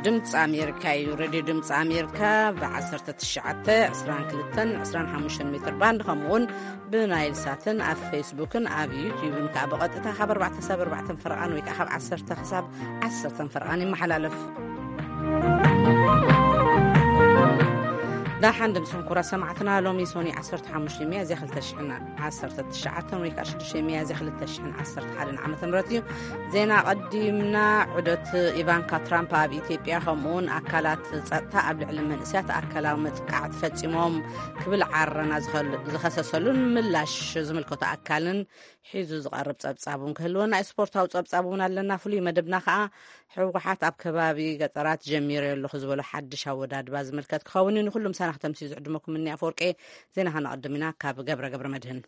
ድምፂ ኣሜሪካ እዩ። ሬድዮ ድምፂ ኣሜሪካ ብ1922 25 ሜትር ባንድ፣ ከምኡውን ብናይል ሳትን ኣብ ፌስቡክን ኣብ ዩቲዩብን ከዓ ብቐጥታ ካብ ኣርባዕተ ክሳብ ኣርባዕተ ፈረቓን ወይ ከዓ ካብ ዓሰርተ ክሳብ ዓሰርተ ፈረቓን ይመሓላለፍ። ዳሓን ድምፅኩም ኩራ ሰማዕትና፣ ሎሚ ሶኒ 15 ሚያዝያ 2019 ወይ ከዓ 6 ሚያዝያ 2011 ዓመተ ምህረት እዩ። ዜና ቀዲምና። ዑደት ኢቫንካ ትራምፕ ኣብ ኢትዮጵያ፣ ከምኡውን ኣካላት ጸጥታ ኣብ ልዕሊ መንእሰያት ኣካላዊ መጥቃዕቲ ፈጺሞም ክብል ዓረና ዝኸል-፣ ዝኸሰሰሉን ምላሽ ዝምልከቶ ኣካልን ሒዙ ዝቐርብ ጸብጻብ እውን ክህልወና እዩ። ስፖርታዊ ጸብጻብ እውን ኣለና። ፍሉይ መደብና ከኣ ህወሓት ኣብ ከባቢ ገጠራት ጀሚረዮ ኣለኹ ዝበሎ ሓድሽ ኣወዳድባ ዝምልከት ክኸውን እዩ። ንኹሉም ሳናኽ ተምሲ ዝዕድመኩም እኒ ኣፈወርቄ። ዜና ከነቐድም ኢና ካብ ገብረ ገብረ መድህን።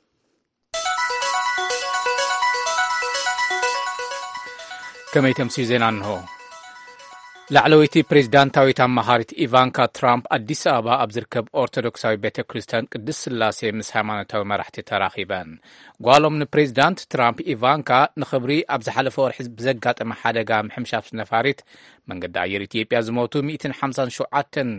ከመይ ተምስዩ ዜና እንሆ። ላዕለወይቲ ፕሬዝዳንታዊት ኣማኻሪት ኢቫንካ ትራምፕ ኣዲስ ኣበባ ኣብ ዝርከብ ኦርቶዶክሳዊ ቤተ ክርስቲያን ቅድስት ስላሴ ምስ ሃይማኖታዊ መራሕቲ ተራኺበን። ጓሎም ንፕሬዝዳንት ትራምፕ ኢቫንካ ንኽብሪ ኣብ ዝሓለፈ ወርሒ ብዘጋጠመ ሓደጋ ምሕምሻሽ ነፋሪት መንገዲ ኣየር ኢትዮጵያ ዝሞቱ 157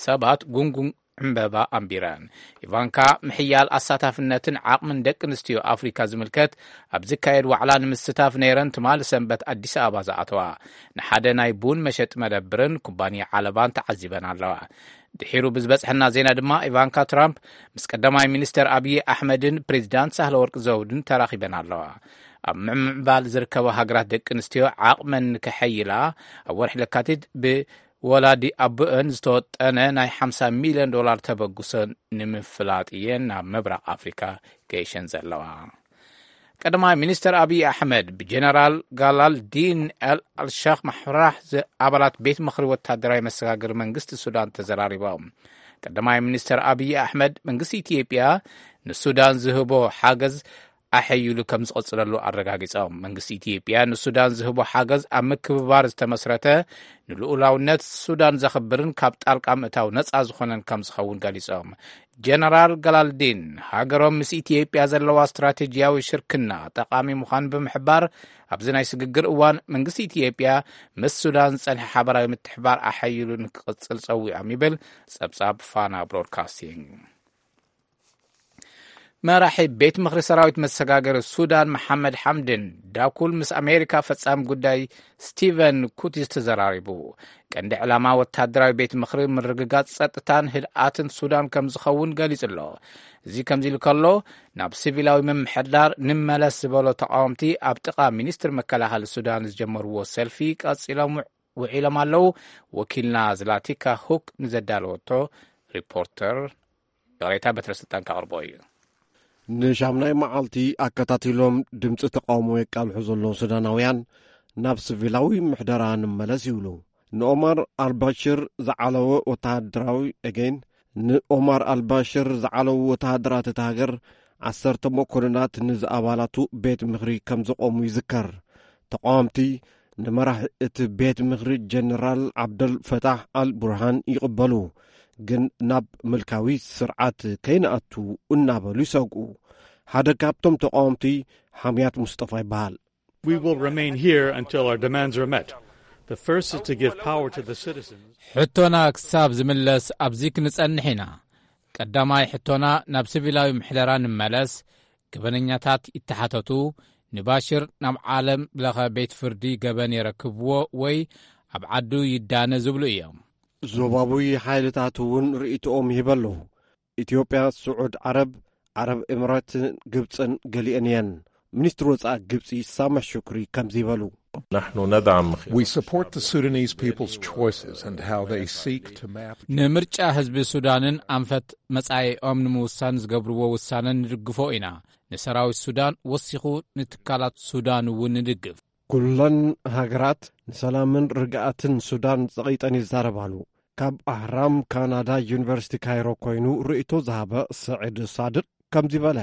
ሰባት ጉንጉን ዕምበባ ኣንቢረን። ኢቫንካ ምሕያል ኣሳታፍነትን ዓቕምን ደቂ ኣንስትዮ ኣፍሪካ ዝምልከት ኣብ ዝካየድ ዋዕላ ንምስታፍ ነይረን ትማሊ ሰንበት ኣዲስ ኣበባ ዝኣተዋ። ንሓደ ናይ ቡን መሸጢ መደብርን ኩባንያ ዓለባን ተዓዚበን ኣለዋ። ድሒሩ ብዝበጽሐና ዜና ድማ ኢቫንካ ትራምፕ ምስ ቀዳማይ ሚኒስተር ኣብዪ ኣሕመድን ፕሬዚዳንት ሳህለወርቅ ዘውድን ተራኺበን ኣለዋ። ኣብ ምዕባል ዝርከባ ሃገራት ደቂ ኣንስትዮ ዓቕመን ንከሐይላ ኣብ ወርሒ ለካቲት ብ ወላዲ ኣቦአን ዝተወጠነ ናይ 50 ሚልዮን ዶላር ተበግሶ ንምፍላጥ እየን ናብ ምብራቕ ኣፍሪካ ገይሸን ዘለዋ። ቀዳማይ ሚኒስተር ኣብዪ ኣሕመድ ብጀነራል ጋላልዲን ኤል ኣልሻኽ ማሕራህ ዝ-፣ ኣባላት ቤት ምኽሪ ወታደራዊ መሰጋገሪ መንግስቲ ሱዳን ተዘራሪቦም። ቀዳማይ ሚኒስተር ኣብዪ ኣሕመድ መንግስቲ ኢትዮጵያ ንሱዳን ዝህቦ ሓገዝ ኣሐይሉ ከም ዝቐጽለሉ ኣረጋጊጾም። መንግስቲ ኢትዮጵያ ንሱዳን ዝህቦ ሓገዝ ኣብ ምክብባር ዝተመስረተ፣ ንልኡላውነት ሱዳን ዘኽብርን ካብ ጣልቃ ምእታው ነጻ ዝኾነን ከም ዝኸውን ገሊጾም። ጀነራል ገላልዲን ሃገሮም ምስ ኢትዮጵያ ዘለዋ ስትራቴጂያዊ ሽርክና ጠቓሚ ምዃኑ ብምሕባር፣ ኣብዚ ናይ ስግግር እዋን መንግስቲ ኢትዮጵያ ምስ ሱዳን ዝጸንሐ ሓበራዊ ምትሕባር ኣሐይሉ ንክቕጽል ጸዊዖም ይብል ጸብጻብ ፋና ብሮድካስቲንግ። መራሒ ቤት ምኽሪ ሰራዊት መሰጋገሪ ሱዳን መሓመድ ሓምድን ዳኩል ምስ ኣሜሪካ ፈጻሚ ጉዳይ ስቲቨን ኩቲስ ተዘራሪቡ። ቀንዲ ዕላማ ወታደራዊ ቤት ምኽሪ ምርግጋጽ ጸጥታን ህድኣትን ሱዳን ከም ዝኸውን ገሊጹ ኣሎ። እዚ ከምዚ ኢሉ ከሎ፣ ናብ ሲቪላዊ ምምሕዳር ንመለስ ዝበሎ ተቃወምቲ ኣብ ጥቓ ሚኒስትሪ መከላኸሊ ሱዳን ዝጀመርዎ ሰልፊ ቀጺሎም ውዒሎም ኣለዉ። ወኪልና ዝላቲካ ሁክ ንዘዳለወቶ ሪፖርተር ይቕሬታ፣ በትረ ስልጣን ከቕርቦ እዩ። ንሻምናይ መዓልቲ ኣከታቲሎም ድምፂ ተቃውሞ የቃልሑ ዘለዉ ሱዳናውያን ናብ ሲቪላዊ ምሕደራ ንመለስ ይብሉ። ንኦማር ኣልባሽር ዝዓለወ ወተሃደራዊ፣ again፣ ንኦማር ኣልባሽር ዝዓለዉ ወተሃደራት እታ ሃገር ዓሰርተ መኮንናት ንዝኣባላቱ ቤት ምኽሪ ከም ዘቆሙ ይዝከር። ተቃወምቲ ንመራሒ እቲ ቤት ምኽሪ ጀነራል ዓብደል ፈታሕ ኣል ቡርሃን ይቕበሉ፣ ግን ናብ ምልካዊ ስርዓት ከይንኣቱ እናበሉ ይሰግኡ። ሓደ ካብቶም ተቃወምቲ ሓምያት ሙስጠፋ ይበሃል። We will remain here until our demands are met. The first is to give power to the citizens. ሕቶና ክሳብ ዝምለስ ኣብዚ ክንጸንሕ ኢና። ቀዳማይ ሕቶና ናብ ሲቪላዊ ምሕደራ ንመለስ፣ ገበነኛታት ይተሓተቱ፣ ንባሽር ናብ ዓለም ለኸ ቤት ፍርዲ ገበን የረክብዎ ወይ ኣብ ዓዱ ይዳነ ዝብሉ እዮም። ዞባዊ ሓይልታት እውን ርእይቶኦም ይህበ ኣለዉ። ኢትዮጵያ፣ ስዑድ ዓረብ፣ ዓረብ ኤምሬትን ግብፅን ገሊአን እየን። ሚኒስትሪ ወፃኢ ግብፂ ሳምሕ ሹክሪ ከምዚ ይበሉ። نحن ندعم We support the Sudanese people's choices and how they seek to map ንምርጫ ህዝቢ ሱዳንን ኣንፈት መጻኢኦም ንምውሳን ዝገብርዎ ውሳነ ንድግፎ ኢና። ንሰራዊት ሱዳን ወሲኹ ንትካላት ሱዳን እውን ንድግፍ። ኩለን ሃገራት ንሰላምን ርግኣትን ሱዳን ጸቒጠን ይዛረባሉ። ካብ ኣህራም ካናዳ ዩኒቨርሲቲ ካይሮ ኮይኑ ርእይቶ ዝሃበ ስዒድ ሳድቅ ከምዚ በለ።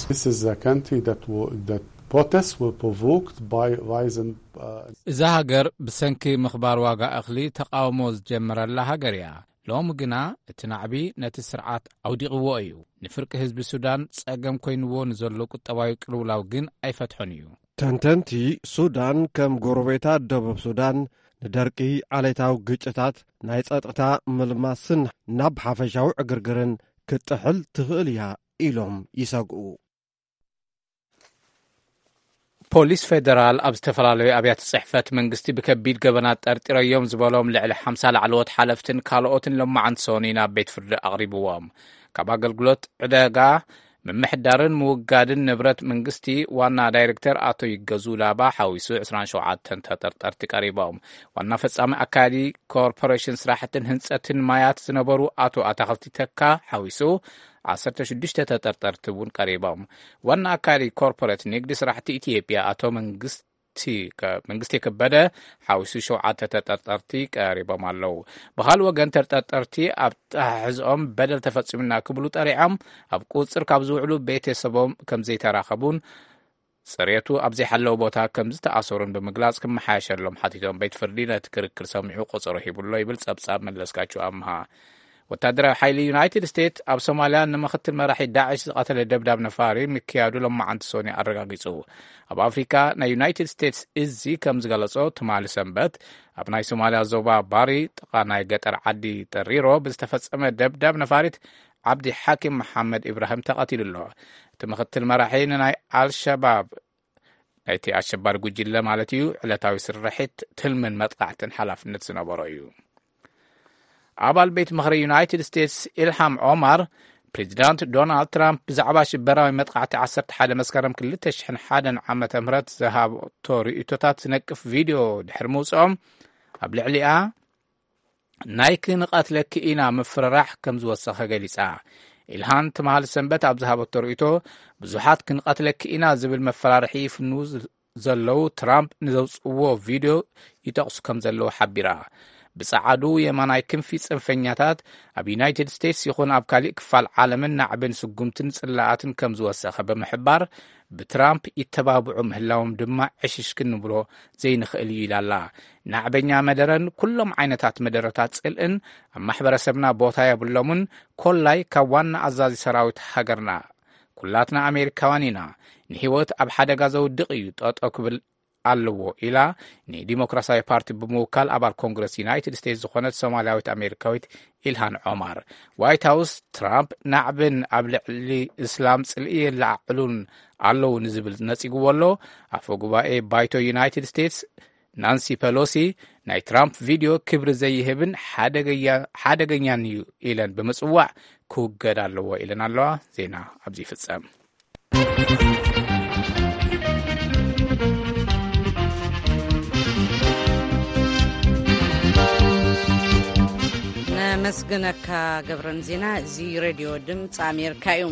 This is a country that will, that protests were provoked by rising, uh, እዛ ሃገር ብሰንኪ ምኽባር ዋጋ እኽሊ ተቃውሞ ዝጀመረላ ሃገር እያ። ሎሚ ግና እቲ ናዕቢ ነቲ ስርዓት ኣውዲቕዎ እዩ። ንፍርቂ ህዝቢ ሱዳን ጸገም ኮይንዎ ንዘሎ ቁጠባዊ ቅልውላው ግን ኣይፈትሖን እዩ። ተንተንቲ ሱዳን ከም ጎረቤታ ደቡብ ሱዳን ንደርቂ፣ ዓሌታዊ ግጭታት፣ ናይ ጸጥታ ምልማስን ናብ ሓፈሻዊ ዕግርግርን ክትጥሕል ትኽእል እያ ኢሎም ይሰግኡ። ፖሊስ ፌደራል ኣብ ዝተፈላለዩ ኣብያተ ጽሕፈት መንግስቲ ብከቢድ ገበናት ጠርጢረዮም ዝበሎም ልዕሊ ሓምሳ ላዕለዎት ሓለፍትን ካልኦትን ሎማዓንቲ ሰኑይ ናብ ቤት ፍርዲ ኣቕሪብዎም። ካብ ኣገልግሎት ዕደጋ፣ ምምሕዳርን ምውጋድን ንብረት መንግስቲ ዋና ዳይሬክተር ኣቶ ይገዙ ላባ ሓዊሱ ዕስራን ሸውዓተን ተጠርጠርቲ ቀሪቦም። ዋና ፈጻሚ ኣካያዲ ኮርፖሬሽን ስራሕትን ህንጸትን ማያት ዝነበሩ ኣቶ ኣታኽልቲ ተካ ሓዊሱ ዓሰርተ ሽዱሽተ ተጠርጠርቲ እውን ቀሪቦም። ዋና ኣካያዲ ኮርፖሬት ንግዲ ስራሕቲ ኢትዮጵያ ኣቶ መንግስቲ ከ-፣ መንግስቲ ከበደ ሓዊሱ ሸውዓተ ተጠርጠርቲ ቀሪቦም ኣለዉ። ብኻልእ ወገን ተጠርጠርቲ ኣብ ኣተሓሕዝኦም በደል ተፈጺሙና ክብሉ ጠሪዖም ኣብ ቁጽር ካብ ዝውዕሉ ቤተሰቦም ከም ዘይተራኸቡን ጽሬቱ ኣብ ዘይሓለወ ቦታ ከም ዝተኣሰሩን ብምግላጽ ክመሓየሸሎም ሓቲቶም ቤት ፍርዲ ነቲ ክርክር ሰሚዑ ቆጸሮ ሂቡሎ ይብል ጸብጻብ መለስካቸው ኣምሃ። ወታደራዊ ሓይሊ ዩናይትድ ስቴትስ ኣብ ሶማልያ ንምኽትል መራሒ ዳዕሽ ዝቐተለ ደብዳብ ነፋሪ ምክያዱ ሎማዓንቲ ሰኑይ ኣረጋጊጹ። ኣብ ኣፍሪካ ናይ ዩናይትድ ስቴትስ እዚ ከም ዝገለጾ ትማሊ ሰንበት ኣብ ናይ ሶማልያ ዞባ ባሪ ጥቓ ናይ ገጠር ዓዲ ጠሪሮ ብዝተፈጸመ ደብዳብ ነፋሪት ዓብዲ ሓኪም መሓመድ ኢብራሂም ተቐቲሉ ኣሎ። እቲ ምኽትል መራሒ ንናይ ኣልሸባብ ናይቲ ኣሸባሪ ጉጅለ ማለት እዩ ዕለታዊ ስርሒት ትልምን መጥቃዕትን ሓላፍነት ዝነበሮ እዩ። ኣባል ቤት ምኽሪ ዩናይትድ ስቴትስ ኢልሃም ኦማር ፕሬዚዳንት ዶናልድ ትራምፕ ብዛዕባ ሽበራዊ መጥቃዕቲ ዓሰርተ ሓደ መስከረም ክልተ ሽሕን ሓደን ዓመተ ምህረት ዝሃብቶ ርእይቶታት ዝነቅፍ ቪድዮ ድሕሪ ምውፅኦም ኣብ ልዕሊኣ ናይ ክንቐትለኪ ኢና ምፍርራሕ ከም ዝወሰኸ ገሊጻ። ኢልሃን ትማሊ ሰንበት ኣብ ዝሃበቶ ርእይቶ ብዙሓት ክንቐትለኪ ኢና ዝብል መፈራርሒ ይፍንዉ ዘለዉ ትራምፕ ንዘውፅዎ ቪድዮ ይጠቕሱ ከም ዘለዉ ሓቢራ። ብጸዓዱ የማናይ ክንፊ ጽንፈኛታት ኣብ ዩናይትድ ስቴትስ ይኹን ኣብ ካሊእ ክፋል ዓለምን ናዕብን ስጉምትን ጽላኣትን ከም ዝወሰኸ ብምሕባር ብትራምፕ ይተባብዑ ምህላዎም ድማ ዕሽሽ ክንብሎ ዘይንኽእል እዩ ኢላ ኣላ። ናዕበኛ መደረን ኩሎም ዓይነታት መደረታት ጽልእን ኣብ ማሕበረሰብና ቦታ የብሎምን። ኮላይ ካብ ዋና ኣዛዚ ሰራዊት ሃገርና ኩላትና ኣሜሪካውያን ኢና። ንህይወት ኣብ ሓደጋ ዘውድቕ እዩ ጠጠው ክብል ኣለዎ ኢላ ንዲሞክራሲያዊ ፓርቲ ብምውካል ኣባል ኮንግረስ ዩናይትድ ስቴትስ ዝኾነት ሶማልያዊት ኣሜሪካዊት ኢልሃን ዖማር። ዋይት ሃውስ ትራምፕ ናዕብን ኣብ ልዕሊ እስላም ጽልኢ የለዓዕሉን ኣለዉ ንዝብል ነጺግዎ ኣሎ። ኣፈ ጉባኤ ባይቶ ዩናይትድ ስቴትስ ናንሲ ፐሎሲ ናይ ትራምፕ ቪድዮ ክብሪ ዘይህብን ሓደገያ-፣ ሓደገኛን እዩ ኢለን ብምጽዋዕ ክውገድ ኣለዎ ኢለን ኣለዋ። ዜና ኣብዚ ይፍጸም። ነመስግነካ ገብረን ዜና። እዚ ሬድዮ ድምፂ ኣሜሪካ እዩ።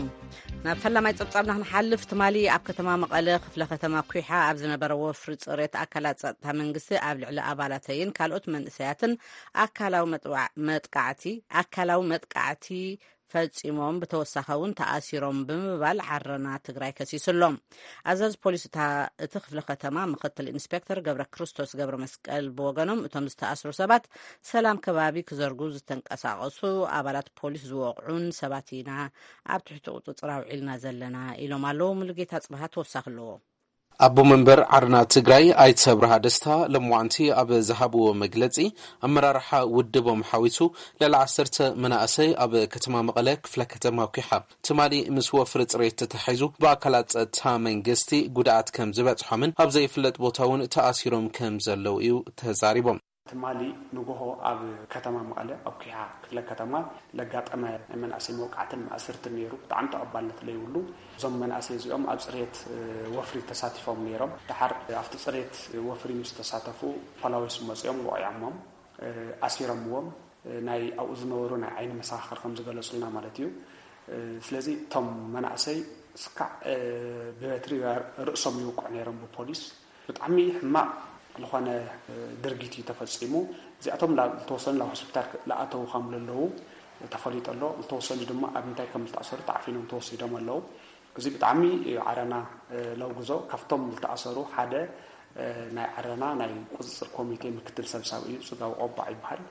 ናብ ፈላማይ ጸብጻብና ክንሓልፍ፣ ትማሊ ኣብ ከተማ መቐለ ክፍለ ከተማ ኩሓ ኣብ ዝነበረ ወፍሪ ጽሬት ኣካላት ጸጥታ መንግስቲ ኣብ ልዕሊ ኣባላተይን ካልኦት መንእሰያትን ኣካላዊ መጥዋ-፣ መጥቃዕቲ፣ ኣካላዊ መጥቃዕቲ ፈጺሞም፣ ብተወሳኺ እውን ተኣሲሮም ብምባል ዓረና ትግራይ ከሲሱ ኣሎ። ኣዛዚ ፖሊስ እታ፣ እቲ ክፍለ ከተማ ምክትል ኢንስፔክተር ገብረ ክርስቶስ ገብረ መስቀል ብወገኖም፣ እቶም ዝተኣስሩ ሰባት ሰላም ከባቢ ክዘርጉ ዝተንቀሳቐሱ ኣባላት ፖሊስ ዝወቕዑን ሰባት ኢና ኣብ ትሕቲ ቁፅፅር ኣውዒልና ዘለና ኢሎም ኣለዉ። ሙሉጌታ ጽብሃ ተወሳኺ ኣለዎ። ኣቦ መንበር ዓርና ትግራይ ኣይተ ብርሃ ደስታ ለምዋንቲ ኣብ ዝሃብዎ መግለጺ፣ ኣመራርሓ ውድቦም ሓዊሱ ልዕሊ ዓሰርተ መናእሰይ ኣብ ከተማ መቐለ ክፍለ ከተማ ኲሓ ትማሊ ምስ ወፍሪ ጽሬት ተታሒዙ ብኣካላት ጸጥታ መንግስቲ ጉድኣት ከም ዝበጽሖምን ኣብ ዘይፍለጥ ቦታ እውን ተኣሲሮም ከም ዘለዉ እዩ ተዛሪቦም። ትማሊ ንጎሆ ኣብ ከተማ መቐለ ኣብ ኲሓ ክፍለ ከተማ ለጋጠመ ናይ መናእሰይ መውቃዕትን ማእስርትን ነይሩ። ብጣዕሚ ተቐባልነት ለይብሉ። እዞም መናእሰይ እዚኦም ኣብ ጽሬት፣ እ፣ ወፍሪ ተሳቲፎም ነይሮም። ደሓር ኣብቲ ጽሬት ወፍሪ ምስ ተሳተፉ ፖላዊስ መጺኦም ወቒዖሞም፣ እ፣ ኣሲሮምዎም፣ እ፣ ናይ ኣብኡ ዝነበሩ ናይ ዓይኒ መሰኻኽር ከም ዝገለጹልና ማለት እዩ። እ፣ ስለዚ እቶም መናእሰይ ስካዕ፣ እ፣ ብበትሪ ርእሶም ይውቅዑ ነይሮም ብፖሊስ። ብጣዕሚ ሕማቕ ዝኾነ፣ እ፣ ድርጊት እዩ ተፈጺሙ። እዚኣቶም ላ-፣ ዝተወሰኑ ናብ ሆስፒታል ክ-፣ ለኣተዉ ከም ለለዉ ተፈሊጡ ኣሎ። ዝተወሰኑ ድማ ኣብ ምንታይ ከም ዝተኣሰሩ ተዓፊኖም ተወሲዶም ኣለዉ። እዚ ብጣዕሚ እዩ ዓረና፣ እ፣ ለውግዞ። ካብቶም ዝተኣሰሩ ሓደ ናይ ዓረና ናይ ቁፅፅር ኮሚቴ ምክትል ሰብሳቢ እዩ፣ ፅጋቡ ቆባዕ ይበሃል።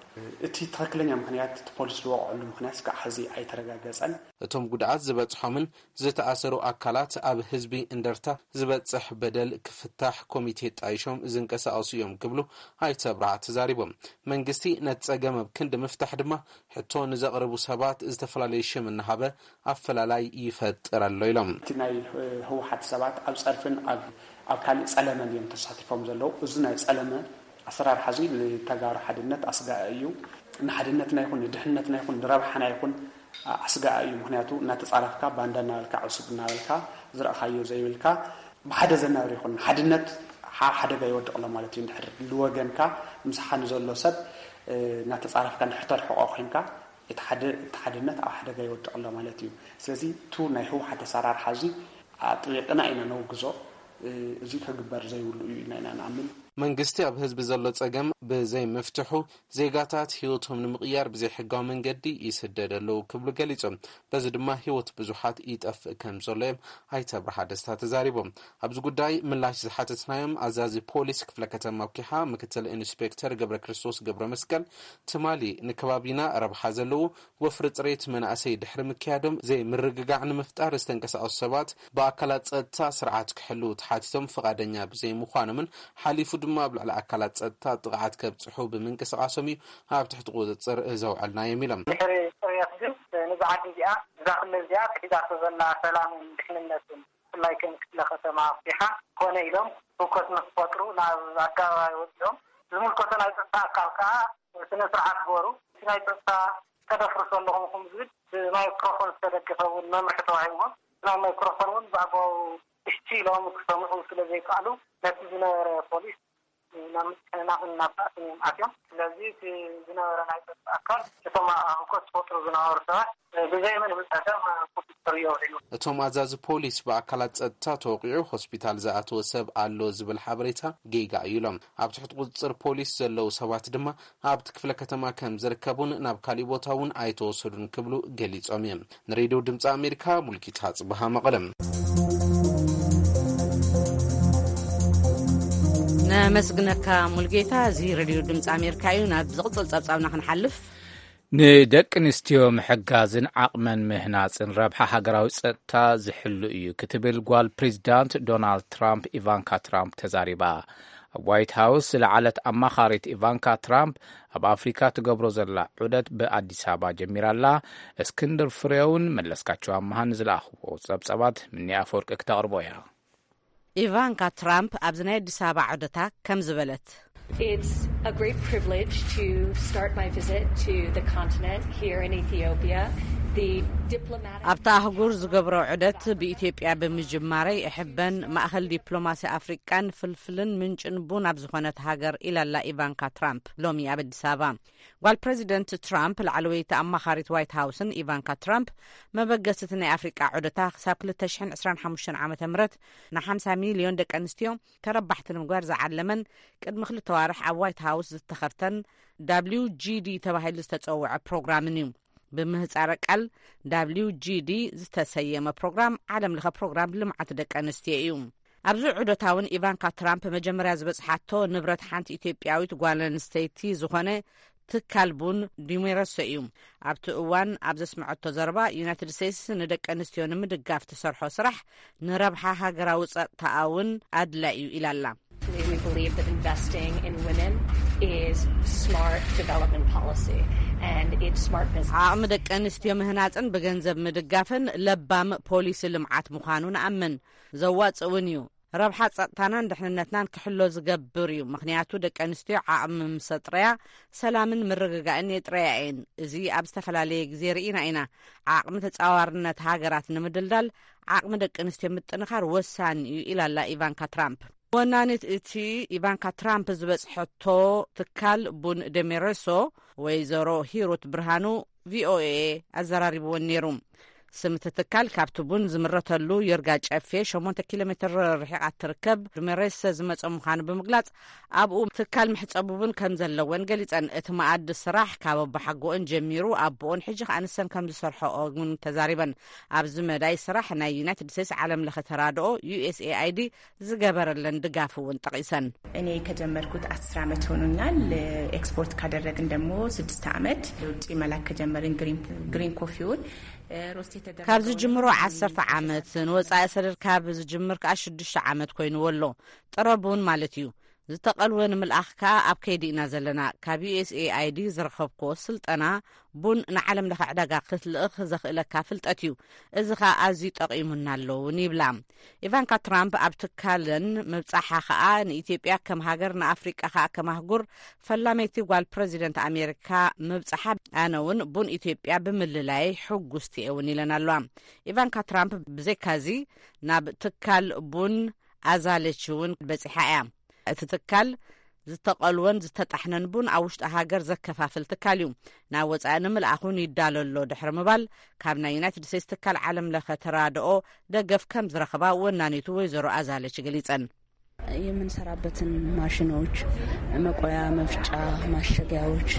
እቲ ትኽክለኛ ምኽንያት፣ እቲ ፖሊስ ዝወቕዐሉ ምኽንያት እስካዕ ሕዚ ኣይተረጋገፀን። እቶም ጉድኣት ዝበፅሖምን ዝተኣሰሩ ኣካላት ኣብ ህዝቢ እንደርታ ዝበፅሕ በደል ክፍታሕ ኮሚቴ ጣይሾም ዝንቀሳቐሱ እዮም ክብሉ ኣይተ ኣብርሃ ተዛሪቦም። መንግስቲ ነቲ ፀገም ኣብ ክንዲ ምፍታሕ ድማ ሕቶ ንዘቕርቡ ሰባት ዝተፈላለዩ ሽም እናሃበ ኣፈላላይ ይፈጥር ኣሎ ኢሎም። እቲ ናይ ህወሓት ሰባት ኣብ ፀርፍን ኣብ ካልእ ፀለመን እዮም ተሳቲፎም ዘለዉ። እዚ ናይ ፀለመ ኣሰራርሓ እዚ ንተጋሩ ሓድነት ኣስጋኢ እዩ። ንሓድነትና ይኹን ንድሕነትና ይኹን ንረብሓና ይኹን ኣስጋኢ እዩ። ምክንያቱ እናተፃረፍካ፣ ባንዳ እናበልካ፣ ዕሱብ እናበልካ፣ ዝረእኻዮ ዘይብልካ ብሓደ ዘናብር ይኹን ሓድነት ሓደጋ ይወድቕ ኣሎ ማለት እዩ። እንድሕር ልወገንካ፣ ምሳኻ ንዘሎ ሰብ እናተፃረፍካ እንድሕር ተርሕቆ ኮይንካ፣ እቲ ሓድነት ኣብ ሓደጋ ይወድቕ ኣሎ ማለት እዩ። ስለዚ እቱ ናይ ህወሓት ኣሰራርሓ እዚ ኣጥቢቕና ኢና ነውግዞ። እዚ ክግበር ዘይብሉ እዩ ኢና ኢና ንኣምን። መንግስቲ ኣብ ህዝቢ ዘሎ ፀገም ብዘይምፍትሑ ዜጋታት ህይወቶም ንምቕያር ብዘይሕጋዊ መንገዲ ይስደድ ኣለዉ ክብሉ ገሊጾም። በዚ ድማ ህይወት ብዙሓት ይጠፍእ ከም ዘሎ እዮም ኣይተ ኣብርሃ ደስታ ተዛሪቦም። ኣብዚ ጉዳይ ምላሽ ዝሓተትናዮም ኣዛዚ ፖሊስ ክፍለ ከተማ ኩሓ ምክትል ኢንስፔክተር ገብረ ክርስቶስ ገብረ መስቀል፣ ትማሊ ንከባቢና ረብሓ ዘለዎ ወፍሪ ፅሬት መናእሰይ ድሕሪ ምክያዶም ዘይምርግጋዕ ንምፍጣር ዝተንቀሳቐሱ ሰባት ብኣካላት ፀጥታ ስርዓት ክሕልዉ ተሓቲቶም ፍቓደኛ ብዘይምዃኖምን ሓሊፉ ድማ ኣብ ልዕሊ ኣካላት ፀጥታ ጥቕዓት ከብፅሑ ብምንቅስቓሶም እዩ ኣብ ትሕቲ ቁፅፅር ዘውዐልናዮም ኢሎም። ድሕሪ ፅርየት ግን ነዛ ዓዲ እዚኣ፣ እዛ ክልል እዚኣ ክሒዛቶ ዘላ ሰላምን ድሕንነትን፣ ብፍላይ ከም ክፍለ ከተማ ኩሓ ኮነ ኢሎም ህውከት ንክፈጥሩ ናብ ኣደባባይ ወፂኦም። ዝምልከቶ ናይ ፀጥታ ኣካል ከዓ ስነ ስርዓት ገሩ። እቲ ናይ ፀጥታ ተደፍርሱ ኣለኹም ዝብል ብማይክሮፎን ዝተደገፈ እውን መምርሒ ተዋሂብዎም። ናይ ማይክሮፎን እውን ብኣግባቡ እሺ ኢሎም ክሰምዑ ስለ ዘይከኣሉ፣ ነቲ ዝነበረ ፖሊስ ናብ ምትሕንናቕን ናብ ባእስን እዮም ኣትዮም። ስለዚ እቲ ዝነበረ ናይ ጸጥታ ኣካል እቶም ኣብ ህውከት ዝፈጥሩ ዝነበሩ ሰባት ብዘይ ምንም ጸገም ቁጽጽር የውዒሉ። እቶም ኣዛዚ ፖሊስ ብኣካላት ጸጥታ ተወቒዑ ሆስፒታል ዝኣተወ ሰብ ኣሎ ዝብል ሓበሬታ ጌጋ እዩ ኢሎም። ኣብ ትሕቲ ቁጽጽር ፖሊስ ዘለዉ ሰባት ድማ ኣብቲ ክፍለ ከተማ ከም ዝርከቡን ናብ ካሊእ ቦታ እውን ኣይተወሰዱን ክብሉ ገሊጾም እዮም። ንሬድዮ ድምፂ ኣሜሪካ ሙልጌታ ጽበሃ መቐለም። ነመስግነካ ሙልጌታ። እዚ ሬድዮ ድምፂ ኣሜሪካ እዩ። ናብ ዝቕጽል ጸብጻብና ክንሓልፍ፣ ንደቂ ኣንስትዮ ምሕጋዝን ዓቕመን ምህናጽን ረብሓ ሃገራዊ ጸጥታ ዝሕሉ እዩ ክትብል ጓል ፕሬዚዳንት ዶናልድ ትራምፕ ኢቫንካ ትራምፕ ተዛሪባ። ኣብ ዋይት ሃውስ ዝለዓለት ኣማኻሪት ኢቫንካ ትራምፕ ኣብ ኣፍሪካ ትገብሮ ዘላ ዑደት ብኣዲስ ኣበባ ጀሚራ ኣላ። እስክንድር ፍሬውን መለስካቸው ኣመሃን ዝለኣኽዎ ጸብጻባት ምኒ ኣፈወርቂ ክተቕርቦ እያ። ኢቫንካ ትራምፕ ኣብዚ ናይ ኣዲስ ኣበባ ዑደታ ከም ዝበለት፣ It's a great privilege to start my visit to the continent here in Ethiopia. The diplomatic ኣብታ ኣህጉር ዝገብሮ ዑደት ብኢትዮጵያ ብምጅማረይ እሕበን። ማእኸል ዲፕሎማሲ ኣፍሪቃን ፍልፍልን ምንጭን ቡን ኣብ ዝኾነት ሃገር ኢላላ ኢቫንካ ትራምፕ ሎሚ ኣብ ኣዲስ ኣበባ። ጓል ፕሬዚደንት ትራምፕ ላዕለወይቲ ኣማኻሪት ዋይት ሃውስን ኢቫንካ ትራምፕ መበገስቲ ናይ ኣፍሪቃ ዑደታ ክሳብ ክልተ ሽሕን ዕስራን ሓሙሽተን ዓመተ ምህረት ንሓምሳ ሚልዮን ደቂ ኣንስትዮ ተረባሕቲ ንምግባር ዝዓለመን ቅድሚ ክልተ ዋርሕ ኣብ ዋይት ሃውስ ዝተኸፍተን ዳብሊው ጂ ዲ ተባሂሉ ዝተጸውዐ ፕሮግራምን እዩ። ብምህጻረ ቃል ዳብሊው ጂ ዲ ዝተሰየመ ፕሮግራም ዓለም ለኸ ፕሮግራም ልምዓት ደቂ ኣንስትዮ እዩ። ኣብዚ ዑደታ እውን ኢቫንካ ትራምፕ መጀመርያ ዝበጽሓቶ ንብረት ሓንቲ ኢትዮጵያዊት ጓል ኣንስተይቲ ዝኾነ ትካል ቡን ዲሜረሶ እዩ። ኣብቲ እዋን ኣብ ዘስምዐቶ ዘረባ፣ ዩናይትድ ስቴትስ ንደቂ ኣንስትዮ ንምድጋፍ ትሰርሖ ስራሕ ንረብሓ ሃገራዊ ጸጥታኣ እውን ኣድላዩ ኢላላ። We believe that investing in women is smart development policy and it's smart business. ዓቕሚ ደቂ ኣንስትዮ ምህናጽን ብገንዘብ ምድጋፍን ለባም ፖሊሲ ልምዓት ምዃኑ ንኣምን። ዘዋጽእ እውን እዩ። ረብሓ ጸጥታናን ድሕንነትናን ክሕሎ ዝገብር እዩ። ምኽንያቱ ደቂ ኣንስትዮ ዓቕሚ ምስ ኣጥረያ ሰላምን ምርግጋእን የጥረያ እየን። እዚ ኣብ ዝተፈላለየ ግዜ ርኢና ኢና። ዓቕሚ ተጻዋርነት ሃገራት ንምድልዳል ዓቕሚ ደቂ ኣንስትዮ ምጥንኻር ወሳኒ እዩ ኢላላ ኢቫንካ ትራምፕ። ወናኒት እቲ ኢቫንካ ትራምፕ ዝበጽሐቶ ትካል ቡን ደሜረሶ ወይዘሮ ሂሩት ብርሃኑ ቪኦኤ ኣዘራሪብወን ነይሩ። ስም እቲ ትካል ካብቲ ቡን ዝምረተሉ ዮርጋ ጨፌ ሸሞንተ ኪሎ ሜትር ርሒቓ ትርከብ ዱሜሬስ ዝመጸ ምዃኑ ብምግላጽ፣ ኣብኡ ትካል መሕጸቢ ቡን ከም ዘለወን ገሊጸን። እቲ መኣዲ ስራሕ ካብ ኣቦሓጎኦን ጀሚሩ ኣቦኦን ሕጂ ከኣ ንሰን ከም ዝሰርሖኦ እውን ተዛሪበን። ኣብዚ መዳይ ስራሕ ናይ ዩናይትድ ስቴትስ ዓለም ለኸ ተራድኦ ዩ ኤስ ኤ ኣይ ዲ ዝገበረለን ድጋፍ እውን ጠቒሰን። እኔ ከጀመርኩት አስር ዓመት ሆኖኛል። ኤክስፖርት ካደረግን ደግሞ ስድስት ዓመት። ለውጭ መላክ ከጀመርን ግሪን፣ ግሪን ኮፊውን ሮስት የተደረገውን ካብ ዝጅምሮ ዓሰርተ ዓመት፣ ንወጻኢ ሰደድ ካብ ዝጅምር ከኣ ሽዱሽተ ዓመት ኮይንዎ ኣሎ። ጥረ ቡን ማለት እዩ። ዝተቐልወ ንምልኣኽ ከኣ ኣብ ከይዲ ኢና ዘለና። ካብ ዩ ኤስ ኤ ኣይ ዲ ዝረኸብክዎ ስልጠና ቡን ንዓለም ለኸ ዕዳጋ ክትልእኽ ዘኽእለካ ፍልጠት እዩ። እዚ ኸኣ ኣዝዩ ጠቒሙና ኣሎ እውን ይብላ። ኢቫንካ ትራምፕ ኣብ ትካለን ምብጻሓ ኸኣ ንኢትዮጵያ ከም ሃገር፣ ንኣፍሪቃ ኸኣ ከም ኣህጉር ፈላመይቲ ጓል ፕረዚደንት ኣሜሪካ ምብጻሓ፣ ኣነ እውን ቡን ኢትዮጵያ ብምልላይ ሕጉስቲ እየ እውን ኢለን ኣለዋ። ኢቫንካ ትራምፕ ብዘይካዚ ናብ ትካል ቡን ኣዛለች እውን በጺሓ እያ። እቲ ትካል ዝተቐልወን ዝተጣሕነን ቡን ኣብ ውሽጢ ሃገር ዘከፋፍል ትካል እዩ። ናብ ወጻኢ ንምልኣኹን ይዳሎ ኣሎ ድሕሪ ምባል፣ ካብ ናይ ዩናይትድ ስቴትስ ትካል ዓለም ለኸ ተራድኦ ደገፍ ከም ዝረኸባ ወናኒቱ ወይዘሮ ኣዛለች ገሊጸን። የምንሰራበትን ማሽኖች፣ መቆያ፣ መፍጫ፣ ማሸጊያዎች፣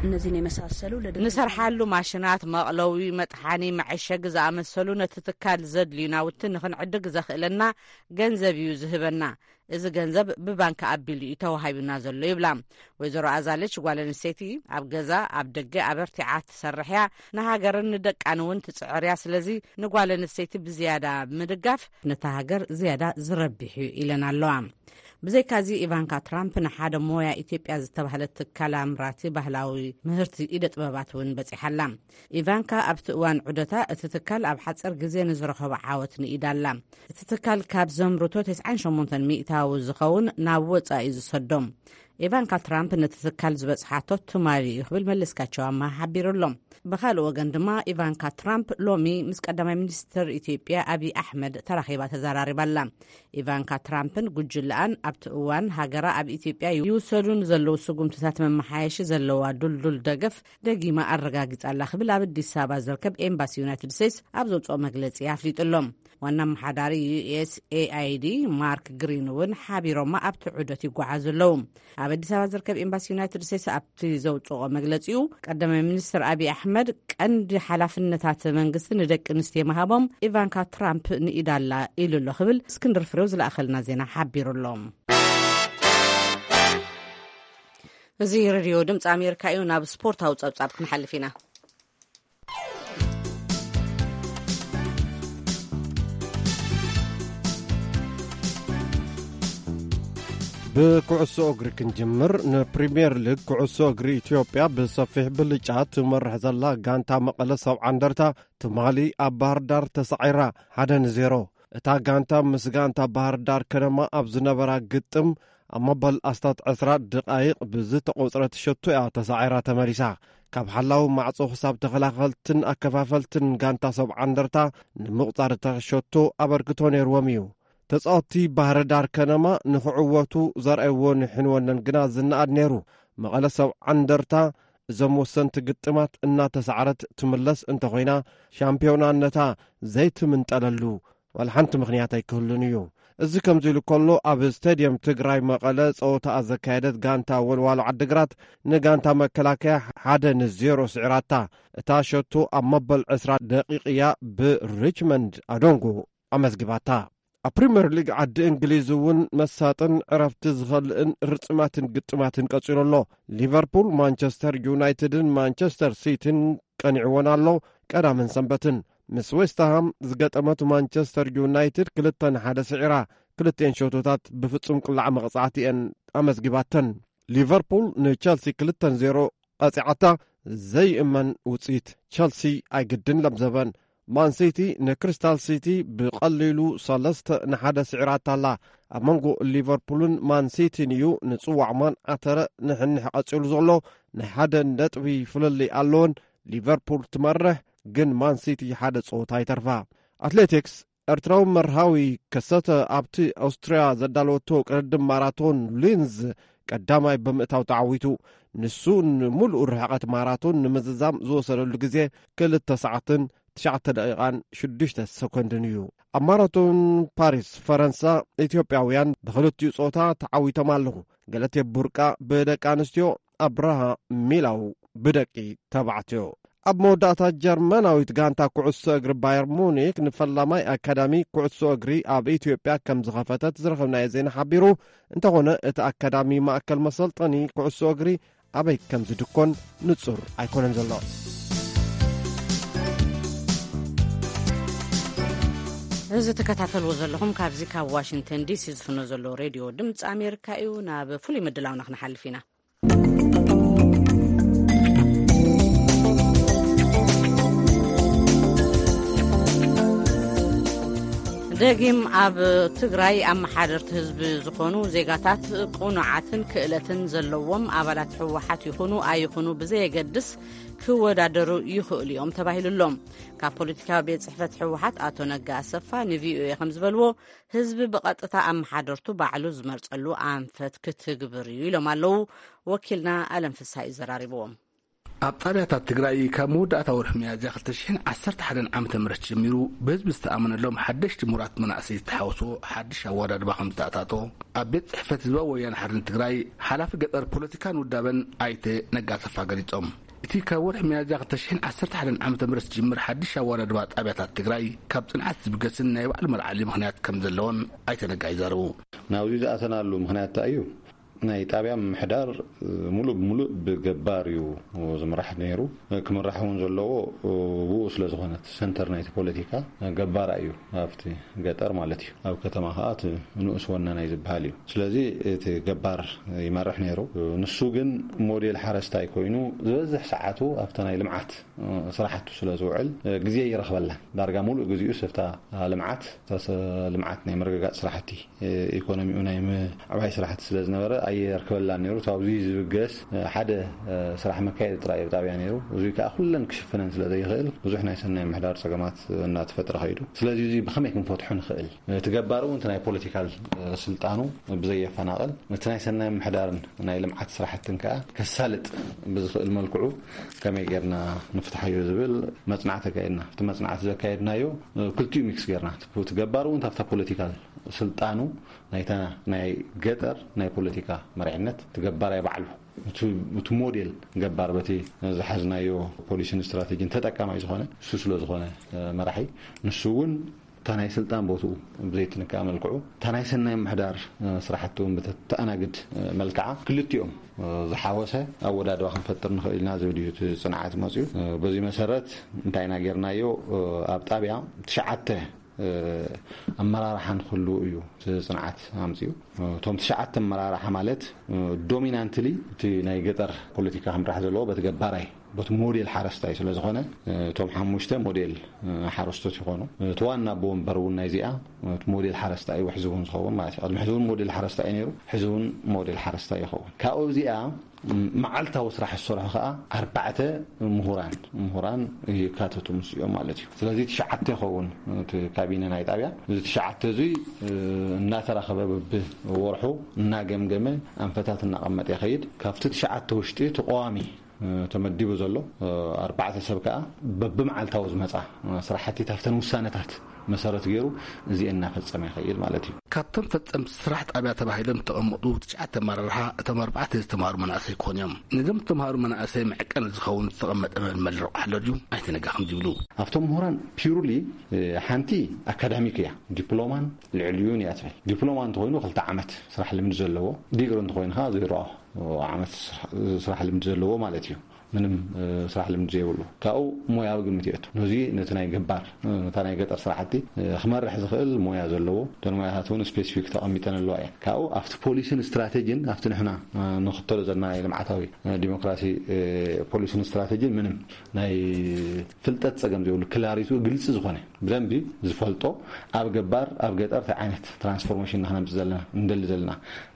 እነዚህን የመሳሰሉ ለደ- ንሰርሓሉ ማሽናት፣ መቕለዊ፣ መጥሓኒ፣ መዐሸጊ ዝኣመሰሉ ነቲ ትካል ዘድልዩ ናውቲ ንኽንዕድግ ዘኽእለና ገንዘብ እዩ ዝህበና። እዚ ገንዘብ ብባንክ ኣቢሉ እዩ ተዋሂቡና ዘሎ ይብላ። ወይዘሮ ኣዛለች ጓል ኣንስተይቲ ኣብ ገዛ ኣብ ደገ ኣበርቲዓ ትሰርሕ እያ። ንሃገርን ንደቃን እውን ትጽዕር እያ። ስለዚ ንጓል ኣንስተይቲ ብዝያዳ ምድጋፍ ነታ ሃገር ዝያዳ ዝረብሕ እዩ ኢለን ኣለዋ። ብዘይካዚ ኢቫንካ ትራምፕ ንሓደ ሞያ ኢትዮጵያ ዝተባህለት ትካል ኣምራቲ ባህላዊ ምህርቲ ኢደ ጥበባት እውን በጺሓላ። ኢቫንካ ኣብቲ እዋን ዑደታ እቲ ትካል ኣብ ሓጸር ግዜ ንዝረኸቦ ዓወት ንኢዳላ። እቲ ትካል ካብ ዘምርቶ ተስዓን ሸሞንተን ሚእታዊ ዝኸውን ናብ ወጻኢ ዝሰዶም። ኢቫንካ ትራምፕ ነቲ ትካል ዝበጽሓቶ ትማሊ እዩ ክብል መለስካቸው ኣማ ሓቢሩ ኣሎ። ብኻልእ ወገን ድማ ኢቫንካ ትራምፕ ሎሚ ምስ ቀዳማይ ሚኒስትር ኢትዮጵያ ኣብይ ኣሕመድ ተራኺባ ተዘራሪባ ኣላ። ኢቫንካ ትራምፕን ጉጅለኣን ኣብቲ እዋን ሃገራ ኣብ ኢትዮጵያ ይውሰዱ ንዘለዉ ስጉምትታት መመሓየሺ ዘለዋ ዱልዱል ደገፍ ደጊማ ኣረጋጊጻ ኣላ ክብል ኣብ ኣዲስ ኣበባ ዝርከብ ኤምባሲ ዩናይትድ ስቴትስ ኣብ ዘውፅኦ መግለፂ ኣፍሊጡ ኣሎ። ዋና ኣመሓዳሪ ዩ ኤስ ኤ ኣይ ዲ ማርክ ግሪን እውን ሓቢሮማ ኣብቲ ዑደት ይጓዓዙ ኣለዉ። ኣብ ኣዲስ ኣበባ ዝርከብ ኤምባሲ ዩናይትድ ስቴትስ ኣብቲ ዘውፅኦ መግለፂኡ ቀዳማይ ሚኒስትር ኣብይ ኣሕመድ ቀንዲ ሓላፍነታት መንግስቲ ንደቂ ኣንስትዮ ምሃቦም ኢቫንካ ትራምፕ ንኢዳላ ኢሉ ኣሎ ክብል እስክንድር ፍሬው ዝለኣኸልና ዜና ሓቢሩ ኣሎ። እዚ ሬድዮ ድምፂ ኣሜሪካ እዩ። ናብ ስፖርታዊ ፀብፃብ ክንሓልፍ ኢና። ብኩዕሶ እግሪ ክንጅምር፣ ንፕሪምየር ሊግ ኩዕሶ እግሪ ኢትዮጵያ ብሰፊሕ ብልጫ ትመርሕ ዘላ ጋንታ መቐለ ሰብዓ እንደርታ ትማሊ ኣብ ባህር ዳር ተሳዒራ፣ ሓደ ንዜሮ። እታ ጋንታ ምስ ጋንታ ባህር ዳር ከነማ ኣብ ዝነበራ ግጥም ኣብ መበል ኣስታት ዕስራ ደቓይቕ ብዝተቖጽረት ሸቶ እያ ተሳዒራ ተመሊሳ። ካብ ሓላዊ ማዕጾ ክሳብ ተኸላኸልትን ኣከፋፈልትን ጋንታ ሰብዓ እንደርታ ንምቑጻር እታ ሸቶ ኣበርክቶ ነይርዎም እዩ። ተጻወትቲ ባህር ዳር ከነማ ንኽዕወቱ ዘርኣይዎ ንሕንወነን ግና ዝነኣድ ነይሩ። መቐለ ሰብዓ እንደርታ እዞም ወሰንቲ ግጥማት እናተሳዕረት ትምለስ እንተኾይና፣ ሻምፒዮናነታ ዘይትምንጠለሉ ዋላ ሓንቲ ምኽንያት ኣይክህሉን እዩ። እዚ ከምዚ ኢሉ ከሎ፣ ኣብ ስቴድየም ትግራይ መቐለ ጸወታኣ ዘካየደት ጋንታ ወልዋሎ ዓድግራት ንጋንታ መከላከያ ሓደ ንዜሮ ስዒራታ። እታ ሸቶ ኣብ መበል ዕስራ ደቂቕ እያ ብሪችመንድ ኣዶንጎ ኣመዝጊባታ። ኣብ ፕሪምየር ሊግ ዓዲ እንግሊዝ እውን መሳጥን ዕረፍቲ ዝኸልእን ርጽማትን ግጥማትን ቀጺሉ ኣሎ። ሊቨርፑል፣ ማንቸስተር ዩናይትድን ማንቸስተር ሲቲን ቀኒዕወን ኣሎ። ቀዳምን ሰንበትን ምስ ዌስትሃም ዝገጠመት ማንቸስተር ዩናይትድ ክልተ ንሓደ ስዒራ፣ ክልቲኤን ሸቶታት ብፍጹም ቅላዕ መቕጻዕቲ እየን ኣመዝጊባተን። ሊቨርፑል ንቸልሲ ክልተ ንዜሮ ቀጺዓታ። ዘይእመን ውጽኢት። ቸልሲ ኣይግድን ለምዘበን። ማንሲቲ ንክሪስታል ሲቲ ብቐሊሉ ሰለስተ ንሓደ ስዒራታ ኣላ። ኣብ መንጎ ሊቨርፑልን ማንሲቲን እዩ ንጽዋዕ ማን ኣተረ ንሕንሕ ቀጺሉ ዘሎ። ናይ ሓደ ነጥቢ ፍልልይ ኣለወን። ሊቨርፑል ትመርሕ፣ ግን ማንሲቲ ሓደ ጸወታ ይተርፋ። ኣትሌቲክስ፣ ኤርትራዊ መርሃዊ ከሰተ ኣብቲ ኣውስትርያ ዘዳለወቶ ቅድድም ማራቶን ሊንዝ ቀዳማይ ብምእታው ተዓዊቱ። ንሱ ንምሉእ ርሕቐት ማራቶን ንምዝዛም ዝወሰደሉ ግዜ ክልተ ሰዓትን ትሽዓተ ደቂቓን ሽዱሽተ ሰኮንድን እዩ። ኣብ ማራቶን ፓሪስ ፈረንሳ፣ ኢትዮጵያውያን ብኽልቲኡ ጾታ ተዓዊቶም ኣለኹ። ገለቴ ቡርቃ ብደቂ ኣንስትዮ፣ ኣብርሃ ሚላው ብደቂ ተባዕትዮ። ኣብ መወዳእታ፣ ጀርመናዊት ጋንታ ኩዕሶ እግሪ ባየር ሙኒክ ንፈላማይ ኣካዳሚ ኩዕሶ እግሪ ኣብ ኢትዮጵያ ከም ዝኸፈተት ዝረኸብናዮ ዜና ሓቢሩ። እንተኾነ፣ እቲ ኣካዳሚ ማእከል መሰልጠኒ ኩዕሶ እግሪ ኣበይ ከም ዝድኮን ንጹር ኣይኮነን ዘሎ። እዚ ትከታተልዎ ዘለኹም ካብዚ ካብ ዋሽንግተን ዲሲ ዝፍኖ ዘሎ ሬድዮ ድምፂ ኣሜሪካ እዩ። ናብ ፍሉይ ምድላውና ክንሓልፍ ኢና። ደጊም ኣብ ትግራይ ኣመሓደርቲ ህዝቢ ዝኾኑ ዜጋታት ቅኑዓትን ክእለትን ዘለዎም ኣባላት ህወሓት ይኹኑ ኣይኹኑ ብዘየገድስ ክወዳደሩ ይኽእሉ እዮም ተባሂሉሎም። ካብ ፖለቲካዊ ቤት ጽሕፈት ህወሓት ኣቶ ነጋ ኣሰፋ ንቪኦኤ ከም ዝበልዎ፣ ህዝቢ ብቐጥታ ኣመሓደርቱ ባዕሉ ዝመርጸሉ ኣንፈት ክትግብር እዩ ኢሎም ኣለዉ። ወኪልና ኣለም ፍስሃ እዩ ዘራሪብዎም። ኣብ ጣብያታት ትግራይ ካብ መወዳእታ ወርሒ ሚያዝያ ክልተ ሽሕን ዓሰርተ ሓደን ዓመተ ምህረት ጀሚሩ ብህዝቢ ዝተኣመነሎም ሓደሽቲ ምሁራት መናእሰይ ዝተሓወሶ ሓድሽ ኣወዳድባ ከም ዝተኣታቶ ኣብ ቤት ጽሕፈት ህዝባዊ ወያነ ሓርነት ትግራይ ሓላፊ ገጠር ፖለቲካን ውዳበን ኣይተ ነጋ ኣሰፋ ገሊጾም። እቲ ካብ ወርሒ ሚያዝያ ክልተ ሽሕን ዓሰርተ ሓደን ዓመተ ምህረት ዝጅምር ሓድሽ ኣወዳድባ ጣብያታት ትግራይ ካብ ጽንዓት ዝብገስን ናይ ባዕሉ መርዓሊ ምኽንያት ከም ዘለዎን ኣይተ ነጋ ይዛረቡ። ናብዚ ዝኣተናሉ ምኽንያት እንታይ እዩ? ናይ ጣብያ ምምሕዳር፣ እ፣ ሙሉእ ብሙሉእ ብገባር እዩ ዝምራሕ ነይሩ። እ፣ ክምራሕ እውን ዘለዎ፣ እ፣ ብኡ ስለ ዝኾነ፣ እቲ ሰንተር ናይቲ ፖለቲካ፣ እ፣ ገባር እዩ፣ ኣብቲ ገጠር ማለት እዩ። ኣብ ከተማ ከኣ እቲ ንኡስ ወናናይ ዝበሃል እዩ። ስለዚ እቲ ገባር ይመርሕ ነይሩ። እ፣ ንሱ ግን ሞዴል ሓረስታይ ኮይኑ ዝበዝሕ ሰዓቱ ኣብታ ናይ ልምዓት፣ እ፣ ስራሕቱ ስለ ዝውዕል፣ እ፣ ግዜ ይረኽበላን። ዳርጋ ሙሉእ ግዜኡ ስፍታ ልምዓት፣ ተሰ-፣ ልምዓት ናይ ምርግጋጽ ስራሕቲ፣ እ፣ ኢኮኖሚኡ ናይ ምዕባይ ስራሕቲ ስለ ዝነበረ ኣየርክበላን ነይሩ። እቲ ኣብዚ ዝብገስ፣ እ፣ ሓደ፣ እ፣ ስራሕ መካየዲ ጥራይ እዩ ጣብያ ነይሩ። እዙይ ከኣ ኩለን ክሽፍነን ስለ ዘይኽእል ብዙሕ ናይ ሰናይ ምሕዳር ጸገማት እናተፈጥረ ኸይዱ። ስለዚ እዚ ብኸመይ ክንፈትሖ ንኽእል? እቲ ገባር እውን እቲ ናይ ፖለቲካል፣ እ፣ ስልጣኑ ብዘየፈናቕል፣ እቲ ናይ ሰናይ ምሕዳርን ናይ ልምዓት ስራሕትን ከኣ ከሳልጥ ብዝኽእል መልክዑ ከመይ ጌርና ንፍትሓዮ ዝብል መጽናዕቲ ኣካየድና። እቲ መጽናዕቲ ዘካየድናዮ፣ እ፣ ክልቲኡ ሚክስ ጌርና፣ እቲ ገባር እውን ኣብታ ፖለቲካል ስልጣኑ ናይታ ናይ ገጠር ናይ ፖለቲካ መሪሕነት፣ እቲ ገባራይ ባዕሉ፣ እቲ፣ እቲ ሞዴል ገባር በቲ ዝሓዝናዮ ፖሊሲን ስትራቴጂን ተጠቃማይ ዝኾነ እሱ ስለ ዝኾነ፣ እ፣ መራሒ፣ ንሱ እውን እታ ናይ ስልጣን ቦትኡ ብዘይትንካእ መልክዑ፣ እታ ናይ ሰናይ ምሕዳር፣ እ፣ ስራሕቲ እውን ብተተኣናግድ፣ እ፣ መልክዓ፣ ክልቲኦም፣ እ፣ ዝሓወሰ ኣወዳድባ ክንፈጥር ንኽእል ኢና ዝብል እዩ እቲ ጽንዓት መጽዩ። እ፣ በዚ መሰረት እንታይ ኢና ጌርናዮ? እ፣ ኣብ ጣብያ ትሽዓተ፣ እ፣ ኣመራርሓ ንክህልዉ እዩ እቲ ጽንዓት ኣምጽዩ። እ፣ እቶም ትሽዓተ ኣመራርሓ ማለት፣ እ፣ ዶሚናንትሊ እቲ ናይ ገጠር ፖለቲካ ክምራሕ ዘለዎ በቲ ገባራይ፣ በቲ ሞዴል ሓረስታይ ስለ ዝኾነ፣ እ፣ እቶም ሓሙሽተ ሞዴል፣ እ፣ ሓረስቶት ይኾኑ። እቲ ዋና ኣቦ ወንበር እውን ናይዚኣ፣ እ፣ እቲ ሞዴል ሓረስታይ እዩ፣ ሕዚ እውን ዝኸውን ማለት እዩ። ቅድሚ ሕዚ እውን ሞዴል ሓረስታይ እዩ ነይሩ፣ ሕዚ እውን ሞዴል ሓረስታይ ይኸውን። ካብኡ እዚኣ፣ ም-፣ መዓልታዊ ስራሕ ዝሰርሑ ከኣ ኣርባዕተ ምሁራን፣ ምሁራን ይካተቱ ምስኦም ማለት እዩ። ስለዚ ትሽዓተ ይኸውን እቲ ካቢነ ናይ ጣብያ። እዚ ትሽዓተ እዙይ፣ እ፣ እናተራኸበ በብወርሑ እናገምገመ ኣንፈታት እናቐመጠ ይኸይድ። ካብቲ ትሽዓተ ውሽጢ እቲ ቀዋሚ፣ እ፣ ተመዲቡ ዘሎ፣ እ፣ ኣርባዕተ ሰብ ከኣ በብመዓልታዊ ዝመጻ፣ እ፣ ስራሕቲ ታፍተን ውሳነታት መሰረት ገይሩ እዚኤን እናፈጸመ ይኸይድ ማለት እዩ። ካብቶም ፈጸምቲ ስራሕ ጣብያ ተባሂሎም ዝተቐመጡ ትሽዓተ ኣመራርሓ፣ እቶም ኣርባዕተ ዝተምሃሩ መናእሰይ ክኾኑ እዮም። ነዞም ዝተምሃሩ መናእሰይ መዕቀኒ ዝኸውን ዝተቐመጠ መልመል ረቑሓ ኣሎ ድዩ? ኣይተ ነጋ ከምዚ ይብሉ። ኣብቶም ምሁራን ፒውርሊ፣ እ፣ ሓንቲ ኣካዳሚክ እያ። ዲፕሎማን ልዕሊኡን እያ ትብል። ዲፕሎማ እንተኾይኑ ክልተ ዓመት ስራሕ ልምዲ ዘለዎ፣ ዲግሪ እንተኾይኑ ከዓ ዜሮ ዓመት ስራሕ፣ ስራሕ ልምዲ ዘለዎ ማለት እዩ። ምንም፣ እ፣ ስራሕ ልምዲ ዘይብሉ። ካብኡ ሞያዊ ግምት ይእቱ። ነዚ ነቲ ናይ ገባር፣ እ፣ ነታ ናይ ገጠር ስራሕቲ፣ እ፣ ክመርሕ ዝኽእል ሞያ ዘለዎ፣ እተን ሞያታት እውን ስፔሲፊክ ተቐሚጠን ኣለዋ እየን። ካብኡ ኣብቲ ፖሊሲን ስትራቴጂን፣ ኣብቲ ንሕና፣ እ፣ ንኽተሎ ዘለና ናይ ልምዓታዊ፣ እ፣ ዲሞክራሲ፣ እ፣ ፖሊሲን ስትራቴጂን ምንም ናይ ፍልጠት ጸገም ዘይብሉ፣ ክላሪቱ ግልጺ ዝኾነ፣ ብደንቢ ዝፈልጦ፣ ኣብ ገባር፣ ኣብ ገጠር እንታይ ዓይነት ትራንስፎርሜሽን ኢና ክነምጽእ ዘለና፣ እንደሊ ዘለና፣